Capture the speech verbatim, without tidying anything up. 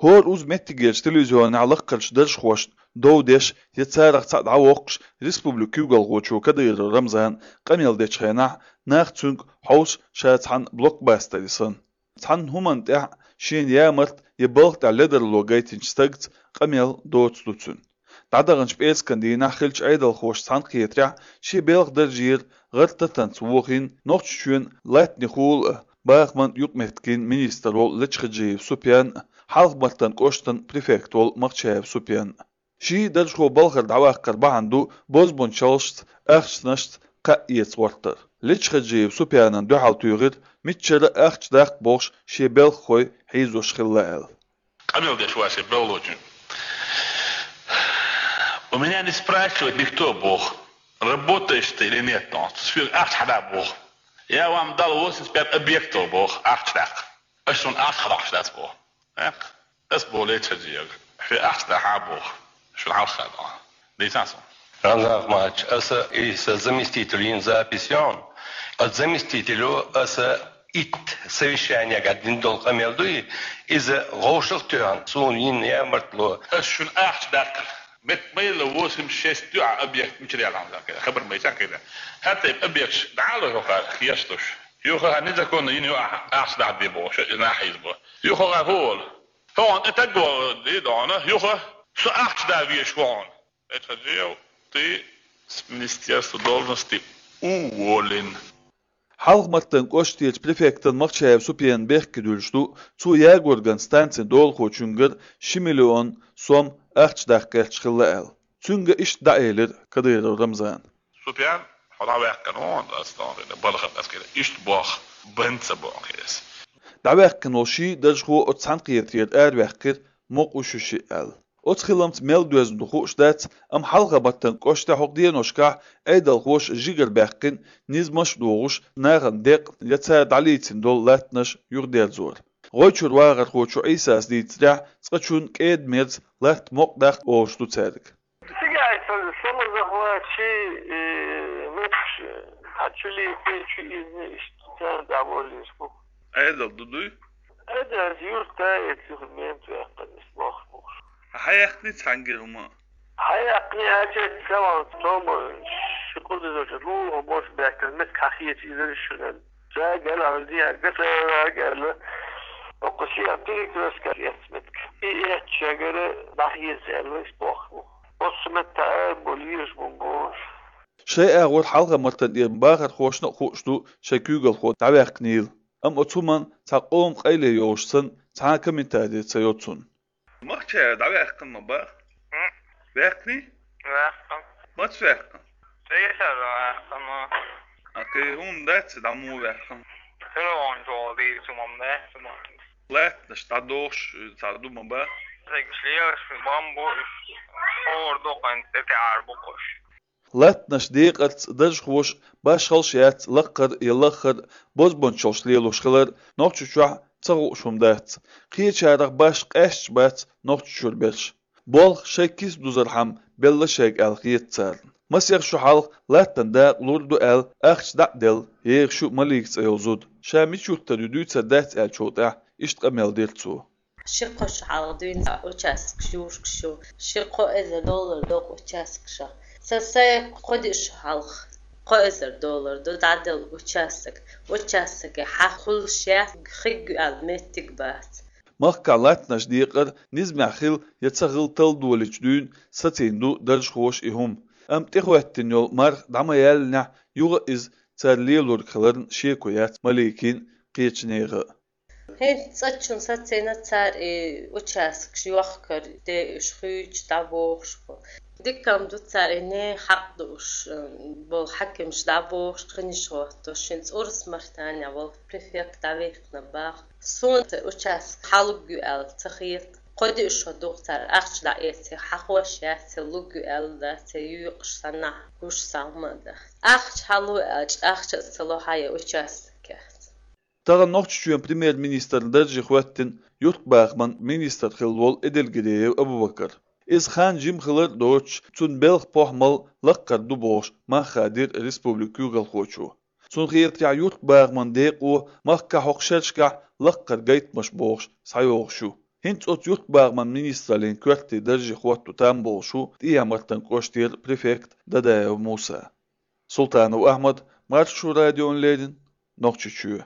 ХӀора уза меттигерчу телевизионехь лаккхарчу даржхошна дов деш я царах цхьаъ дӀавоккхуш, республикан куьйгалхочо Кадыров Рамзана къамел дечу хенахь нах цуьнга хьовса ша цхьана блокбастере санна. Цхьана хӀуманна тӀехь шена ямарта я балха тӀехь ледарло гайтинчу стагца къамел доцу ду цуьнан. ДӀадаханчу пӀераскан дийнахь хиллачу Ӏедалхоша цхьаьнакхетарехь шен белхан даржера гӀар-татанца вохийна Нохчийчоьнан латтанийн хьолан а, бахаман а юкъаметтигийн министр волу Лечхаджиев Супьян а, Хьалха-Мартан кӀоштан префект волу Махчаев Супьян а. Ший даржхо балхара дӀаваккхар бахьана ду бозбунчаллашца, ахчанашца кхаъ эца гӀортар. Лечхаджиев Супьянан дуьхьал туьйхира, миччара а ахча даккха бохуш шен белхахой хьийзош хилла аьлла. Къамел деш ву ас шен белхалочуьнга. У меня не спрашивает никто, боху. Работаешь ты или нет, но соьга ахча хьада, боху. Я вам дал восемьдесят пять объектов, боху, ахча даккха. Ас шуна ахча хьадоккхуш дац, боху. ТӀаккха ас боху Лечхаджиевга: шуьга ахча дахьа, боху, шуна хьалха дохьа. Дийцахьа суна. Рамзан Ахматович, аса и сан заместитель йина запись йон. Аса заместителю аса итт совещанегахь дина долу къамел дуй, иза вовшах а тоьхна, суна йина ямартло. Ас шуна ахча даккхар. Мет майла восемьдесят шесть ю а объект мичара яла хьан хабар майча кхайда. ХӀара тайпа объекташ дӀа а ло хӀокхара хештуш. Юха хӀара незаконно йина ю ахьа ахча дахьа де бохуш, и нах хьийзабо. Юха хӀокхара хӀу волу? ХӀокхунна тӀе таг вогӀу де дохьуна, юха со ахча да везаш ву хьуна. Лечхаджиев, ты с министерства должности уволен. Хьалха-Мартан кӀоштарчу префектан Махчаев Супьянан бехке дуьллуш ду, цо ягорган станцин долахочуьнгара ши миллион сом ахча даккха гӀерташ хилла аьлла. Цуьнга иштта дӀаэлира Кадыров Рамзана. Супьян, хьо дӀаваьккхина вон, ас тхуна хилла, балхара ас хилла, иштта боху, бан ца боху ас. ДӀаваьккхина волу ший даржхо оцу цхьаьнакхетарера араваьккхира, мукъа ву шу шиъ аьлла. Оцу хиламца мел доьзна ду хууш дац, амма Хьалха-Мартан кӀоштехь хӀокху деношкахь Ӏедалхоша жигара баьккхина, низамаш а дохуш, нахана декъна я цара дӀалийцина долу латтанаш юхадерзор. ГӀой чуьра вахархочо Ӏийсас дийцарехь, цкъачунна кӀеда-мерза латта мукъадаккха олуш ду цаьрга. Цигахь сан самозахватчий, э, меттигаш, хьан чу лийций, чу изний, иштта цара дӀаволлийш бу. Ӏедал ду дуй? Ӏедал юрта эца юха мент ваьккхина, иза бохуш бохуш. Хьан яьккхина цхьаьнгара хӀума? Хьан яьккхина аьлча, ца ван тома, ши кхуза доза лугӀа бош баьккхина, меттиг хьан хеташ иза шуьга. Жагала, дия, гатара гала. Окко сия перекрестка эц меттиг. И эц шагара дӀахьеца аьлла, иштта боху. Оцу метта а бу, леш бу, бу. Шайн агӀор Хьалха-Мартан тӀера бахархошна а хууш ду шайн куьйгалхо дӀаваьккхинийла. Амма оцу хӀуманна цхьа къоман къайле йолуш санна, цхьа а комментари ца йо цунна. Махчаев дӀаваьккхина ма бах? М? Ваьккхиний? Ваьккхина. Маца ваьккхина? Цигара ваьккхина. А кхин хӀума дац, дӀа муха ваьккхина? Телефон чохь дийцу ма дац, ма. Лаьттанаш дӀадохуш, цхьа ду ма бах? Цигаш лелаш, бамбу, хӀора дукха тӀе тӀе ара бу кхуш. Латтанаш декъарца даржхоша башхалш яц лаккхара я лаххара бозбунчаллаш лелош хилар Нохчийчохь ца хууш хӀума дац. Кхечарах баш къаьсташ бац Нохчийчуьра берш. Болх шайн киса дузархьама белла шайга аьлла хета царна. Масех шо хьалха латтан дакъа лур ду аьлла, ахча дӀа а делла, ехаш ю Малика цӀе йолу зуда. Ша мича юьртара ю дуьйцур дац аьллачул тӀаьхьа иштта къамел дира цо. Ши-кхо шо хьалха дуьйна участкаш юхкуш ю. Ши-кхо эзар доллар доккху участкашах. Сан сайн кхо-диъ шо хьалха кхо эзар доллар ду дӀаделла участок. Участокехь хьан хуьлуш яц, хиггу аьлла меттиг бац. Махкахь латтанаш декъар низамехь хила я ца хила талла долийча дуьйна сацийна ду даржхоша и хӀума. Амма тӀехӀоьттина йолу марха дӀа ма яьллинехь, юха а иза цара лелориг хиларна шеко яц Маликин а, кхечу нехан а. ХӀинца цӀа чун сацийна цара и участкаш йохкар, де уьш хуьйцуш дӀабохуш бу. Дика-м ду цара и нехан хьакъ дууш, м, болу хьаькамаш дӀабохуш, кхиниш гӀоттуш, хӀинца Урус-Мартанехь волу префект дӀавихкина баха. Суна цу участка хьан луг ю аьлла ца хета. Кхо-диъ шо ду-кх цара ахча дӀаэций, хьан хош яц, церан луг ю аьлла дац, церан юьйкъаш санна, гуш санна ма дац. Ахча хьан лу аьлча, ахча а ца ло, хьан я участок яц. Тахана Нохчийчоьнан премьер-министран дарже хӀоьттина юьртбахаман министр хилла волу Эдельгериев Абубакар. Иза хан жима хилар а доцуш, цуьнан белхан-похӀмалла лаккхара ду бохуш, мах хадийра республикан куьйгалхочо. Цунна хетарехь, юьртбахаман декъо махкахь хӀокху шерашкахь лаккхара гайтамаш бохуш схьайогӀуш ю. ХӀинца оцу юртбахаман министраллин коьртте дарже хӀотто там болуш ву ТӀехьа-Мартан кӀоштера префект Дадаев Муса. Султанов Ахьмад, Маршо радиона леррина, Нохчийчоь.